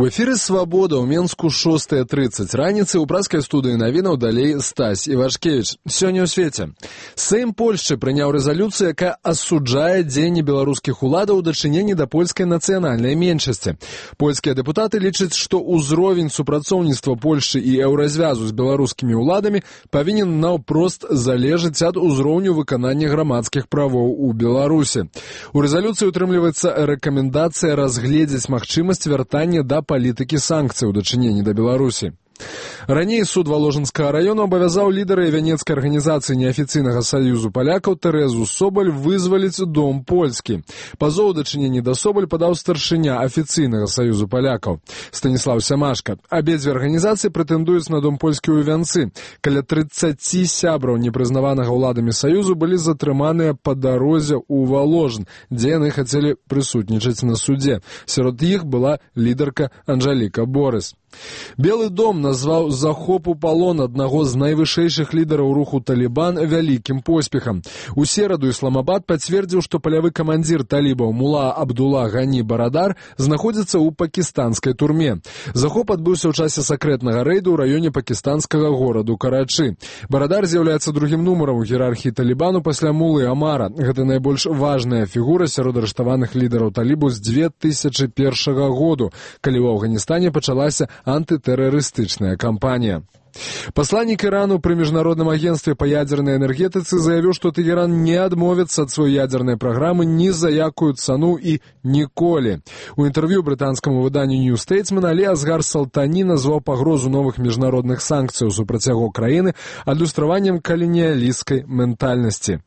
У эфіры «Свабода» ў Менску 6:30 раніцы ў праскай студыі навінаў далей Стась Івашкевіч. Сёння ў свеце. Сейм Польшчы прыняў рэзалюцыю, якая асуджае дзеянні беларускіх уладаў у дачыненні да польскай нацыянальнай меншасці. Польскія дэпутаты лічаць, што ўзровень супрацоўніцтва Польшчы і еўразвязу з беларускімі ўладамі павінен наўпрост залежыць ад узроўню выканання грамадскіх правоў у Беларусі. У рэзалюцыі утрымліваецца рэкамендацыя разгледзець магчымасць вяртання да палітыкі санкцый у дачыненні да Беларусі. Раней суд Воложенскага району абавязаў лідара вянецкай арганізацыі неафіцыйнага саюзу палякаў Тэрэзу Собаль вызваліць дом польскі. Пазоў у дачыненні да Собаль падаў старшыня афіцыйнага саюзу палякаў Станіслаў Сямашка. Абедзве арганізацыі прэтэндуюць на дом польскі ў Вянцы. Каля 30 сябраў непрызнаванага ўладамі саюзу былі затрыманыя па дарозе ў Воложен, дзе яны хацелі прысутнічаць на судзе. Сярод іх была лідарка Анжаліка Борыс. Белы дом назваў захоп у палон аднаго з найвышэйшых лідараў руху Талібан вялікім поспехам. У сераду Ісламабад пацвердзіў, што палявы камандзір талібаў Мула Абдула Гані Барадар знаходзіцца ў пакістанскай турме. Захоп адбыўся ў часе сакрэтнага рэйду ў раёне пакістанскага гораду Карачы. Барадар з'яўляецца другім нумарам у іерархіі Талібану пасля Мулы Амара. Гэта найбольш важная фігура сярод арыштаваных лідараў талібу з 2001 году, калі ў Афганістане пачалася антытэрарыстычная кампанія. Пасланнік Ірану пры міжнародным агенцтве па ядзернай энергетыцы заявіў, што Тэгеран не адмовіцца ад сваёй ядзернай праграмы ні за якую цану і ніколі. У інтэрв'ю брытанскаму выданню New Statesman Алі Асгар Салтані назваў пагрозу новых міжнародных санкцыяў супраць яго краіны адлюстраваннем каланіялісцкай ментальнасці.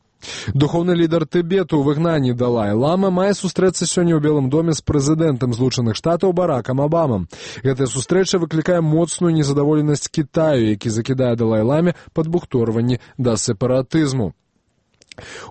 Духоўны лідар Тыбету ў выгнанні Далай-Лама мае сустрэцца сёння ў Белым доме з прэзідэнтам Злучаных Штатаў Баракам Абамам. Гэтая сустрэча выклікае моцную незадаволенасць Кітаю, які закідае Далай-Ламе падбухторванні да сепаратызму.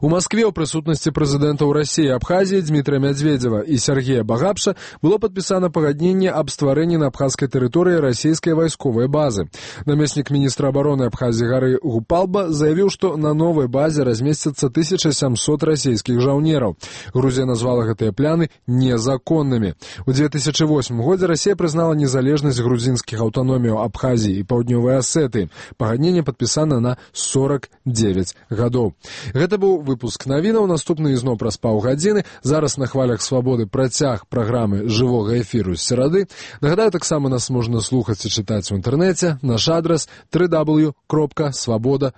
У Маскве ў прысутнасці прэзідэнтаў Расіі і Абхазіі Дмітрыя Мядзведзева і Сергея Багапша было падпісана пагадненне аб стварэнні на абхазскай тэрыторыі расійскай вайсковай базы. Намеснік міністра абароны Абхазіі Гары Гупалба заявіў, што на новай базе размесцяцца 1700 расійскіх жаўнераў. Грузія назвала гэтыя пляны незаконнымі. У 2008 годзе Расія прызнала незалежнасць грузінскіх аўтаноміяў Абхазіі і Паўднёвай Асетыі. Пагадненне падпісана на 49 гадоў. Гэта быў выпуск навінаў, наступны ізноў праз паўгадзіны. Зараз на хвалях Свабоды працяг праграмы жывога эфіру з серады. Нагадаю, таксама нас можна слухаць і чытаць у інтэрнэце. Наш адрас www.swaboda.ru